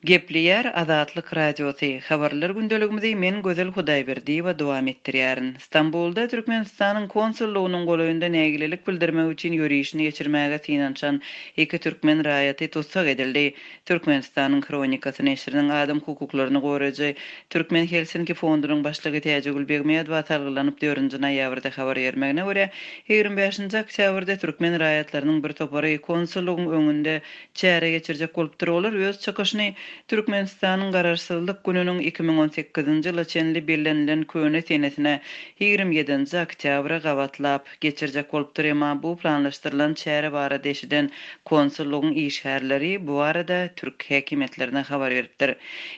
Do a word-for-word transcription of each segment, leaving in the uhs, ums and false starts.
Gepleýär Azatlyk Radiosy, Habarlar gündeligimizi men Gözel Hudaýberdiýewa dowam etdirýärin. Stambulda Türkmenistanyň konsullygynyň golaýynda nägilelik bildirmek üçin ýörişini geçirmäge synanyşan iki türkmen raýaty tussag edildi. Türkmenistanyň Hronikasy neşiriniň adam hukuklaryny goraýjy Türkmen Helsinki fondunyň başlygy Täjigül Begmedowa salgylanyp dördünji noýabrda habar bermegine görä, ýigrimi bäşinji oktýabrda türkmen raýatlarynyň bir topary konsullygyň öňünde çäre geçirjek bolupdyr. Olar öz çykyşyny Türkmenistanyň Garaşsyzlyk gününiň iki müň on sekizinji ýyla çenli bellenilen köne senesine ýigrimi ýedinji oktýabra gabatlap geçirjek bolupdyr. Emma bu planlaşdyrylan çäre barada eşiden konsullygyň işgärleri bu barada türk häkimiýetlerine habar beripdir.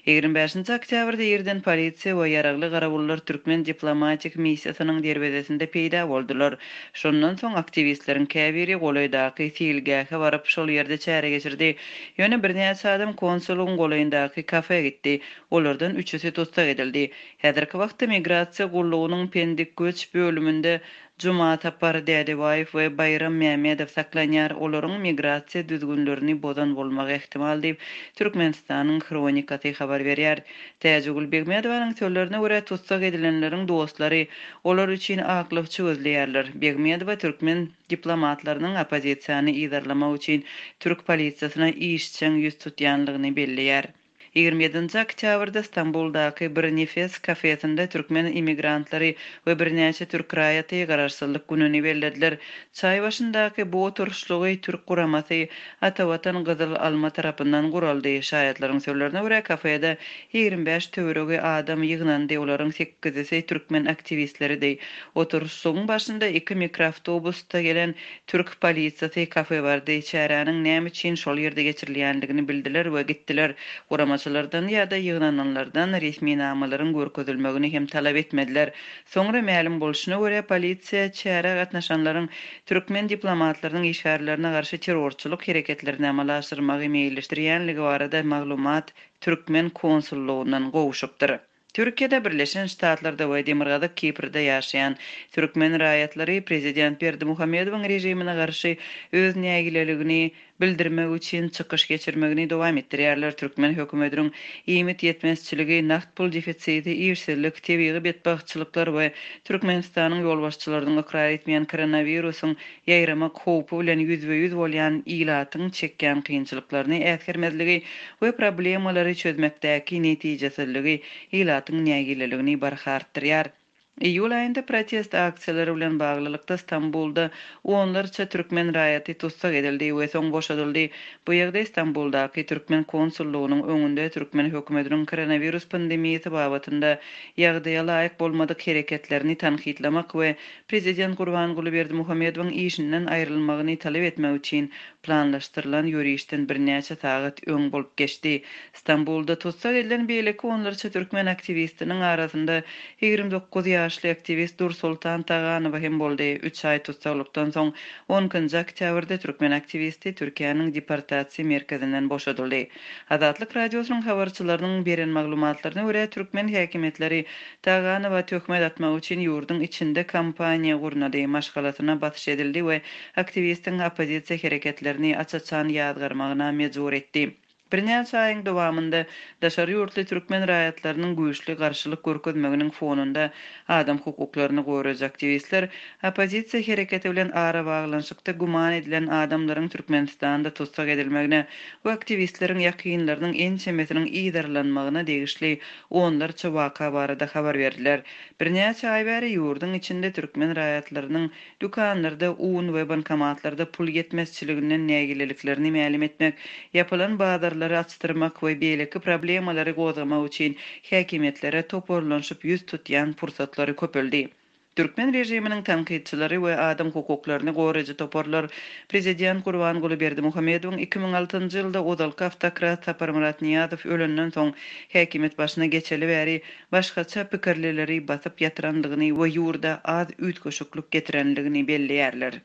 Ýigrimi bäşinji oktýabrda irden polisiýa we ýaragly garawullar türkmen diplomatik missiýasynyň derwezesinde peýda boldular. Şondan soň aktiwistleriň käbiri golaýdaky seýilgähe baryp, şol ýerde çäre geçirdi. Ýöne birnäçe adam konsullygyň golaýyndaky kafe gitdi. Olardan üçüsi tussag edildi. Häzirki wagtda migrasiýa gullugynyň Pendik göç bölüminde Juma Tapar Dädebaýew we Baýram Mämmedow saklanýar. Olaryň migrasiýa düzgünlerini bozan bolmagy ähtimal diýip, Türkmenistanyň Hronikasy habar berýär. Täjigül Begmedowanyň sözlerine görä, tussag edilenleriň dostlary olar üçin aklawçy gözleýärler. Begmedowa türkmen diplomatlarynyň oppozisiýany yzarlamak üçin türk polisiýasyna işjeň ýüz tutýanlygyny belleýär. Ýigrimi ýedinji oktýabrda Stambuldaky bir nefes kafesinde türkmen immigrantlary we birnäçe türk raýaty garaşsyzlyk gününi bellediler. Çaý başyndaky bu oturyşlygy türk guramasy Atavatan Gyzyl Alma tarapyndan guraldy. Şaýatlaryň sözlerine görä, kafede ýigrimi bäş töweregi adam ýygnandy, olaryň sekizisi türkmen aktiwistleridi. Oturyşlygyň başynda iki mikroawtobusda gelen türk polisiýasy kafe bardy. Çäräniň näme üçin şol ýerde geçirilýändigini bildiler we gitdiler. Guramaçylardan ýa-da ýygnananlardan resminamalaryň görkezilmegini hem talap etmediler. Soňra mälim bolşuna görä, polisiýa çärä gatnaşanlaryň türkmen diplomatlarynyň işgärlerine garşy terrorçylyk hereketlerini amala aşyrmagy meýilleşdirýänligi barada maglumat türkmen konsullugyndan gowşupdyr. Türkiýede, Birleşen Ştatlarda we Demirgazyk Kiprde ýaşaýan türkmen raýatlary prezident Berdimuhamedowyň režimine garşy öz nägileligini bildirmek üçin çykyş geçirmegini dowam etdirýärler. Türkmen hökümetiniň iýmit ýetmezçiligi, nagt pul defisiti, işsizlik, tebigy betbagtçylyklar we Türkmenistanyň ýolbaşçylarynyň ykrar etmeýän koronawirusyň ýaýramak howpy bilen ýüzbe-ýüz bolýan ilatyň çekýän kynçylyklaryny äsgermezligi we problemalary çözmekdäki netijesizligi ilatyň nägileligini barha artdyrýar. Iýul aýynda protest aksiýalary bilen baglylykda Stambulda onlarça türkmen raýaty tussag edildi we soň boşadyldy. Bu ýagdaý Stambuldaky türkmen konsullygynyň öňünde türkmen hökümetiniň koronawirus pandemiýasy babatynda ýagdaýa laýyk bolmadyk hereketlerini tankytlamak we prezident Gurbanguly Berdimuhamedowyň işinden aýrylmagyny talap etmek üçin planlaşdyrylan ýörişden birnäçe sagat öň bolup geçdi. Stambulda tussag edilen beýleki onlarça türkmen aktiwistiniň arasynda ýigrimi dokuz ýaşly aktiwist Dursultan Taganowa hem boldy. Üç aý tussaglykdan soň on ikinji oktýabrda türkmen aktiwisti Türkiýäniň deportasiýa merkezinden boşadyldy. Azatlyk Radiosynyň habarçylarynyň beren maglumatlaryna görä, türkmen häkimiýetleri Taganowa töhmet atmak üçin ýurduň içinde kampaniýa gurnady, maşgalasyna basyş edildi we aktiwistiň oppozisiýa hereketlerini aç-açan ýazgarmagyna mejbur etdi. Birnäçe aýyň dowamynda daşary ýurtly türkmen raýatlarynyň güýçli garşylyk görkezmeginiň fonunda adam hukuklaryny goraýjy aktiwistler oppozisiýa hereketi bilen ara baglanyşykda güman edilen adamlaryň Türkmenistanda tussag edilmegine we aktiwistleriň ýakynlarynyň ençemesiniň yzarlanmagyna degişli onlarça waka barada habar berdiler. Birnäçe aý bäri ýurduň içinde türkmen raýatlarynyň dükanlarda un we bankomatlarda pul ýetmezçiliginden nägileliklerini mälim etmek, ýapylan bazarlary açdyrmak we beýleki problemalary gozgamak üçin häkimiýetlere toparlanyşyp ýüz tutýan pursatlary köpeldi. Türkmen režiminiň tankytçylary we adam hukuklaryny goraýjy toparlar prezident Gurbanguly Berdimuhamedowyň iki müň altynjy ýylda ozalky awtokrat Saparmyrat Nyýazow ölenden soň häkimiýet başyna geçeli bäri başgaça pikirlileri basyp ýatyrandygyny we ýurda az üýtgeşiklik getirendigini belleýärler.